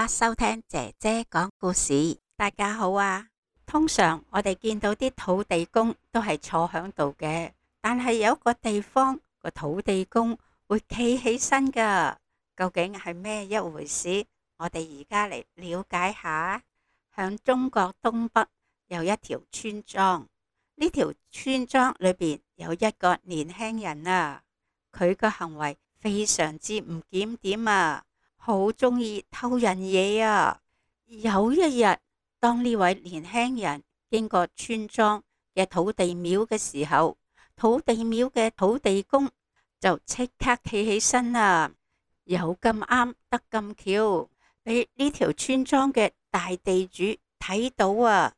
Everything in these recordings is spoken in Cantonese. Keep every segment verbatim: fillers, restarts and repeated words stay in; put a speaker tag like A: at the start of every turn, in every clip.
A: 家收聽姐姐講故事。大家好啊！通常我哋見到啲土地公都係坐響度嘅，但係有一個地方個土地公會企起身噶，究竟係咩一回事？我哋而家嚟了解下。響中國東北有一條村莊，呢條村莊裏邊有一個年輕人啊，佢個行為非常之唔檢點啊，好中意偷人嘢啊！有一日，當呢位年輕人經過村莊嘅土地廟嘅時候，土地廟嘅土地公就即刻企起身啦。有咁啱得咁巧，俾呢條村莊嘅大地主睇到啊，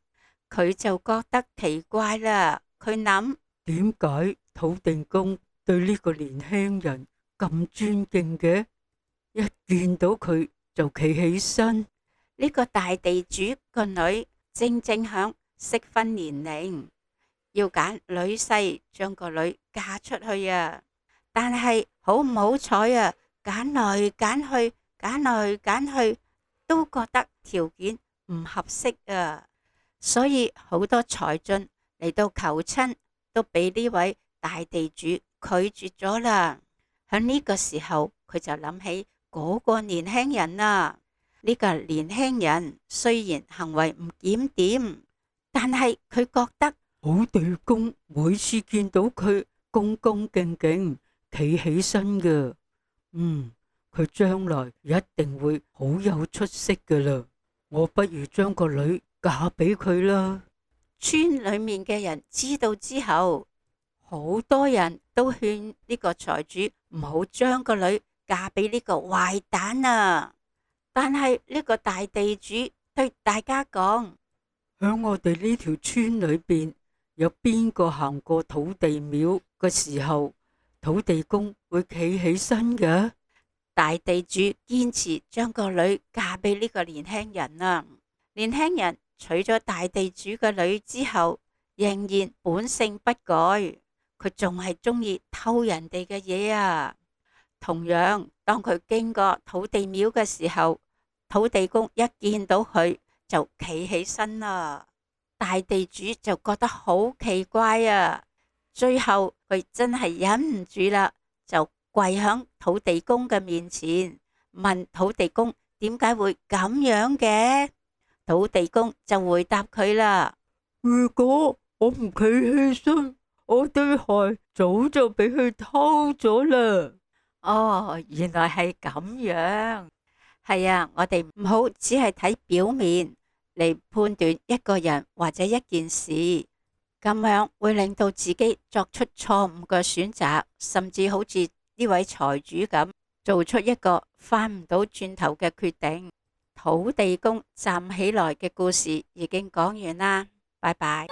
A: 佢就覺得奇怪啦。佢諗，
B: 點解土地公對呢個年輕人咁尊敬嘅？一見到佢就企起身。
A: 呢個大地主個女正正響適婚年齡，要揀女婿將個女嫁出去啊！但係好唔好彩啊，揀來揀去，揀來揀去，都覺得條件唔合適啊！所以好多才俊嚟到求親，都俾呢位大地主拒絕咗啦。喺呢個時候，佢就諗起嗰個年輕人啊。呢個年輕人雖然行為唔檢點，但係佢覺得
B: 土地公每次見到佢恭恭敬敬企起身嘅，嗯，佢將來一定會好有出息噶啦。我不如將個女嫁俾佢啦。
A: 村裏面嘅人知道之後，好多人都勸呢個財主唔好將個女嫁俾呢個壞蛋啊！但係呢個大地主對大家講，
B: 響我哋呢條村裏邊，有邊個行過土地廟嘅時候，土地公會企起身嘅？
A: 大地主堅持將個女嫁俾呢個年輕人啊！年輕人娶咗大地主個女之後，仍然本性不改，佢仲係中意偷人哋嘅嘢啊！同樣，當佢經過土地廟嘅時候，土地公一見到佢就企起身啦。大地主就覺得好奇怪啊！最後佢真係忍唔住啦，就跪響土地公嘅面前，問土地公點解會咁樣嘅？土地公就回答佢啦：
B: 如果我唔企起身，我對鞋早就俾佢偷咗啦。
A: 哦，原來係咁樣。係啊，我哋唔好只係睇表面嚟判斷一個人或者一件事，咁樣會令到自己作出錯誤嘅選擇，甚至好似呢位財主咁，做出一個翻唔到轉頭嘅決定。土地公站起來嘅故事已經講完啦，拜拜。